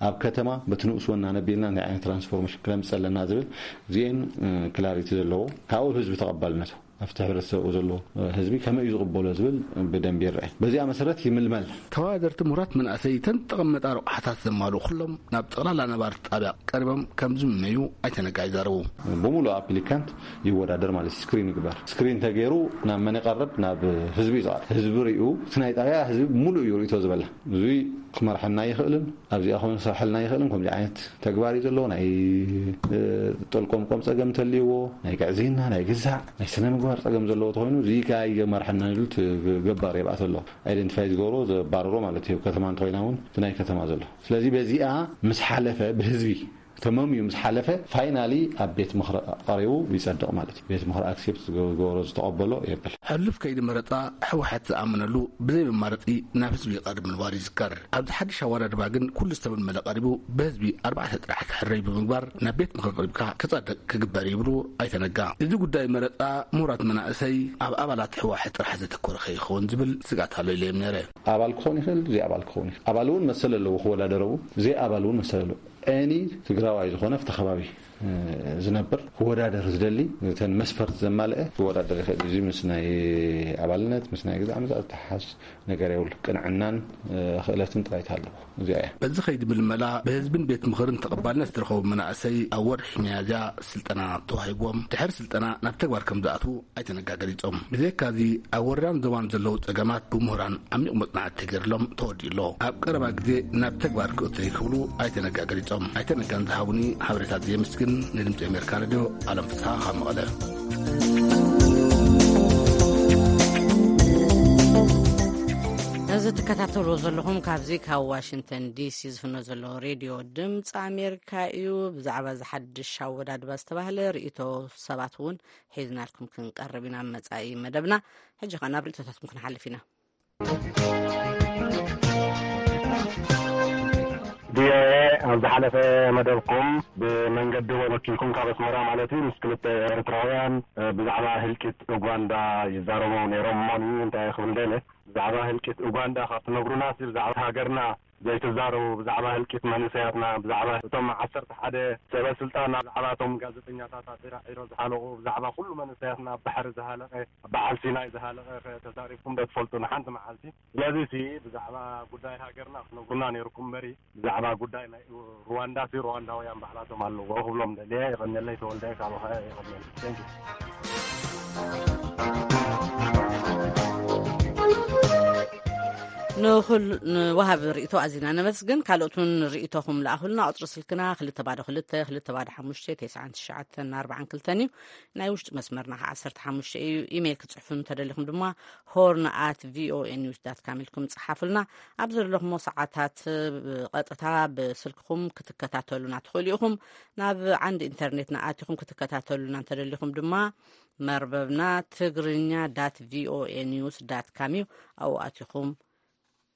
ኣብ ከተማ በቲ ንኡስ ወናነ ኣቢልና እንታይ ዓይነት ትራንስፎርሜሽን ክነምጽእ ኣለና ዝብል፣ እዚኤን፣ እ፣ ክላሪቲ ዘለዎ፣ ካብኡ ህዝቢ ተቐባልነቱ፣ ኣብቲ ሕብረተሰብ ዘሎ ህዝቢ ከመይ እዩ ዝቕበሎ ዝብል ብደንቢ ይረአ። በዚኣ መሰረት ይምልመል። ተወዳደርቲ ምሁራት መናእሰይ ተን ተቐመጣ ረቑሓታት ዘማልኡ ኩሎም ናብ ጠቕላላ ነባርቲ ጣብያ ቀሪቦም ከም ዝምነዩ ኣይተ ነጋ ይዛረቡ። ብምሉእ ኣፕሊካንት ይወዳደር ማለት እዩ። ስክሪን ይግበር። ስክሪን ተገይሩ ናብ መን ይቐርብ? ናብ ህዝቢ እዩ ዝቐርብ። ህዝቢ ሪኡ፣ እቲ ናይ ጣብያ ህዝቢ ሙሉእ እዩ ሪእቶ ዝበላ። እዙይ ክመርሐና ይኽእልን ኣብዚኣ ኮይኑ ክሰርሐልና ይኽእልን ከምዚ ዓይነት ተግባር እዩ ዘለዎ። ናይ፣ እ፣ ጠልቆምቆም ጸገም እንተልይዎ፣ ናይ ግዕዝይና፣ ናይ ግዛዕ፣ ናይ ስነ ምግባር ጸገም ዘለዎ ተኾይኑ፣ እዚ ከኣ ይመርሐና ኢሉ እቲ ገባር የብኣቶ ኣሎ። ኣይደንቲፋይ ዝገብሮ፣ ዘባርሮ ማለት እዩ። ከተማ እንተኾይና እውን እቲ ናይ ከተማ ዘሎ። ስለዚ በዚኣ ምስ ሓለፈ፣ ብህዝቢ ተመምዩ ምስ ሓለፈ፣ ፋይናሊ ኣብ ቤት ምኽሪ ቀሪቡ ይጸድቕ ማለት እዩ። ቤት ምኽሪ ኣክሴፕት ዝገ-፣ ዝገበሮ፣ ዝተቐበሎ የብል። ሕሉፍ ከይዲ መረጻ ህወሓት ዝኣመነሉ ብዘይ መማረጺ ናብ ህዝቢ ይቐርብ ምንባሩ ይዝከር። ኣብዚ ሓድሽ ኣወዳድባ ግን ኩሉ ዝተመልመለ ቀሪቡ ብህዝቢ ኣርባዕተ ጥራሕ ክሕረይ ብምግባር ናብ ቤት ምኽሪ ቀሪብካ ክጸድቕ ክግበር ይብሉ ኣይተ ነጋ። እዚ ጉዳይ መረጻ ምሁራት መናእሰይ ኣብ ኣባላት ህወሓት ጥራሕ ዘተኮረ ከይኸውን ዝብል ስግኣት ኣሎ ኢለ እየ ነይረ። ኣባል ክኸውን ይኽእል፣ ዘይ ኣባል ክኸውን ይኽእል። ኣባል እውን መሰል ኣለዎ ክወዳደር እውን፣ ዘይ ኣባል እውን መሰል ኣለዎ። ኤኒ ትግራዋይ ዝኾነ ኣብቲ ከባቢ፣ እ፣ ዝነብር ክወዳደር ዝደሊ፣ እተን መስፈርት ዘማልአ ክወዳደር ይኽእል። እዚ ምስ ናይ ኣባልነት፣ ምስ ናይ ግዛዕ ምዛዕ ዝተሓሓዝ ነገር የብሉ። ቅንዕናን፣ እ፣ ክእለትን ጥራይ ትሃለዎ። እዚኣ እያ። በዚ ኸይዲ ምልመላ ብህዝብን ቤት ምኽርን ተቐባልነት ዝረኸቡ መናእሰይ ኣብ ወርሒ ሚያዝያ ስልጠና ተዋሂብዎም፣ ድሕሪ ስልጠና ናብ ተግባር ከም ዝኣትዉ ኣይተ ነጋ ገሊጾም። ብዘይካዚ ኣብ ወረዳን ዞባን ዘለዉ ጸገማት ብምሁራን ዓሚቕ መጽናዕቲ ተገይርሎም ተወዲኡ ኣሎ። ኣብ ቀረባ ግዜ ናብ ተግባር ክእቶ ክብሉ ኣይተ ነጋ ገሊጾም። ኣይተ ነጋን ዝሃቡኒ ሓበሬታት የመስግን። ንድምጺ ኣሜሪካ ሬድዮ ኣለም ፍስሓ ካብ መቐለ። እዚ ትከታተልዎ ዘለኹም ካብዚ ካብ ዋሽንግተን ዲሲ ዝፍኖ ዘሎ ሬድዮ ድምፂ ኣሜሪካ እዩ። ብዛዕባ እዚ ሓድሽ ኣወዳድባ ዝተባህለ ርእይቶ ሰባት እውን ሒዝናልኩም ክንቀርብ ኢና ኣብ መጻኢ መደብና። ሕጂ ኸኣ ናብ ርእይቶታትኩም ክንሓልፍ ኢና። ቪኦኤ ኣብ ዝሓለፈ መደብኩም ብመንገዲ ወኪልኩም ካብ ኣስመራ ማለት እዩ ምስ ክልተ ኤርትራውያን፣ እ፣ ብዛዕባ ህልቂት ኡጋንዳ ይዛረቡ ነይሮም። እሞኒ እንታይ ክብል ደለ፣ ብዛዕባ ህልቂት ኡጋንዳ ካብ ትነግሩናስ ብዛዕባ ሃገርና ዘይትዛረቡ፣ ብዛዕባ ህልቂት መንእሰያትና፣ ብዛዕባ እቶም ዓሰርተ ሓደ ሰበ ስልጣን፣ ብዛዕባ እቶም ጋዜጠኛታት ኣሲራ ዒሮ ዝሓለቑ፣ ብዛዕባ ኩሉ መንእሰያትና ኣብ ባሕሪ ዝሃለቐ፣ ኣብ በዓል ሲናይ ዝሃለቐ ከ ተዛሪብኩም ዶ ትፈልጡ ንሓንቲ መዓልቲ? ስለዚ ሲ ብዛዕባ ጉዳይ ሃገርና ክትነግሩና ነይርኩም እምበሪ፣ ብዛዕባ ጉዳይ ናይ ሩዋንዳ ሲ ሩዋንዳውያን ባዕላቶም ኣለዎ ክብሎም ደልየ። የቐንየለይ ተወልደ ካብ ኻያ የቐንየለይ። Thank you። ንኹል-፣ ንወሃቢ ርእይቶ ኣዚና ነመስግን። ካልኦት እውን ርእይቶኹም ለኣኹልና። ቁጽሪ ስልክና ክልተ ባዶ ክልተ፣ ክልተ ባዶ ሓሙሽተ፣ ተስዓን ትሽዓተን ኣርባዓን ክልተን እዩ። ናይ ውሽጢ መስመርና ኸዓ ዓሰርተ ሓሙሽተ እዩ። ኢሜይል ክትጽሕፉ እንተደሊኹም ድማ ሆርን ኣት ቪኦኤ ኒውስ ዳት ካም ኢልኩም ጽሓፉልና። ኣብ ዘለኹሞ ሰዓታት ብቐጥታ ብስልክኹም ክትከታተሉና ትኽእሉ ኢኹም። ናብ ዓንዲ ኢንተርኔትና ኣቲኹም ክትከታተሉና እንተደሊኹም ድማ መርበብና ትግርኛ ዳት ቪኦኤ ኒውስ ዳት ካም እዩ። ኣብኡ ኣቲኹም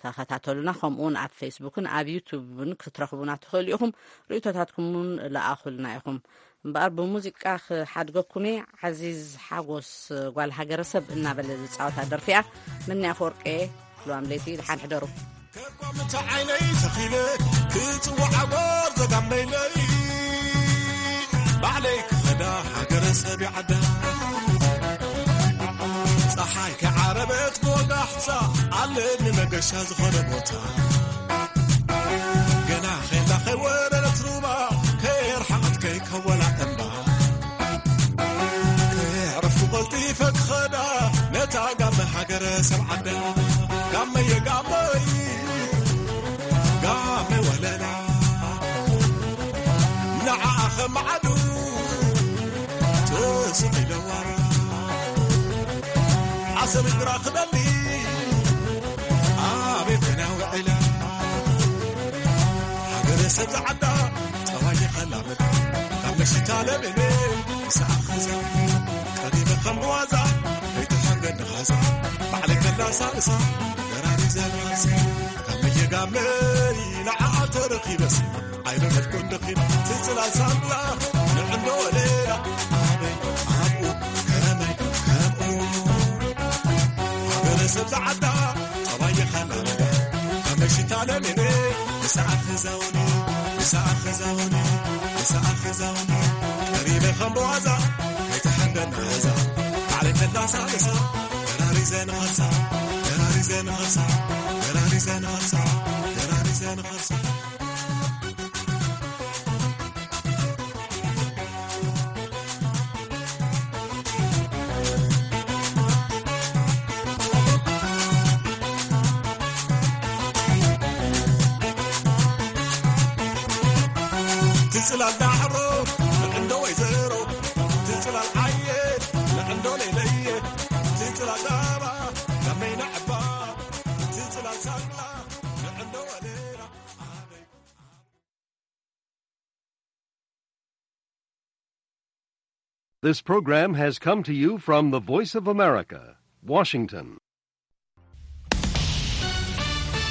ተኸታተሉና። ከምኡውን ኣብ ፌስቡክን ኣብ ዩቱብን ክትረኽቡና ትኽእሉ ኢኹም። ርእይቶታትኩም እውን ለኣኹልና ኢኹም። እምበኣር ብሙዚቃ ክሓድገኩም እየ። ዓዚዝ ሓጎስ ጓል ሃገረሰብ እናበለ ዝጻወታ ደርፊ እያ። ምንያ ኣፈወርቂ፣ ሉዋም ለይቲ ድሓን ሕደሩ። ከኳምቲ ዓይነይ ተኺለ ክጽውዓ ጎርዞ ጋመይለይ ባዕለይ ክኸዳ ሃገረ ሰብ ይዓዳ። ጸሓይ ከዓረበት ክወጋሕታ ኣለኒ መገሻ ዝኾነ ቦታ። ገና ኼላ ከይወረደት ሩባ ከየርሓቐት ከይከወላ እምባ። ከየዕረፍኩ ቀልጢፈ ክኸዳ ነታ ጋመ ሃገረ ሰብ ዓዳ። ጋመየ ጋመይ ጋመ ወለላ ንዓኣ ኸማዓዱ ተስቕ ኢለዋ። ዓሰብ እግራ ክደሊ ኣቤት ናውዕላ ሃገረ ሰብ ዝዓዳ ጠባይ ይኸላመድ ካብ መሽታ ለበነ ሰኣኸዛ ቀሪበ ከም ብዋዛ ከይትሓንገድ ንኻዛ ባዕለይ ከላሳልሳ ገራሪ ዘላሲ ካብ መየጋመይ ንዓኣ ተረኺበስ ኣይረኸድኩን ደኺም ትጽላል ሳንላ ንዕንዶ ወለላ ኣበይ ኣብኡ ከመይ ከምኡ ሃገረ ሰብ ዝዓዳ ጠባይ ይኸላመዳ ካብ መሽታ ለበነ ንሰኣ ክዛውኒ ንሰኣ ክዛውኒ ንሰኣ ክዛውኒ ቀሪበ ከም ብዋዛ ከይትሓንገድ ንኻዛ ባዕለይ ከላሳለሳ፣ ደራሪዘ ንኸሳ፣ ደራሪዘ ንኸሳ፣ ደራሪዘ ንኸሳ፣ ደራሪዘ ንኸሳ። ትጽላል ዳዕሮ ንዕንዶ ወይዘሮ፣ ትጽላል ዓየ ንዕንዶ ለይለየ፣ ትጽላል ዳባ ካብ መይና ዕባ፣ ትጽላል ሳላ ንዕንዶ ወለላ። This program has come to you from the Voice of America, Washington.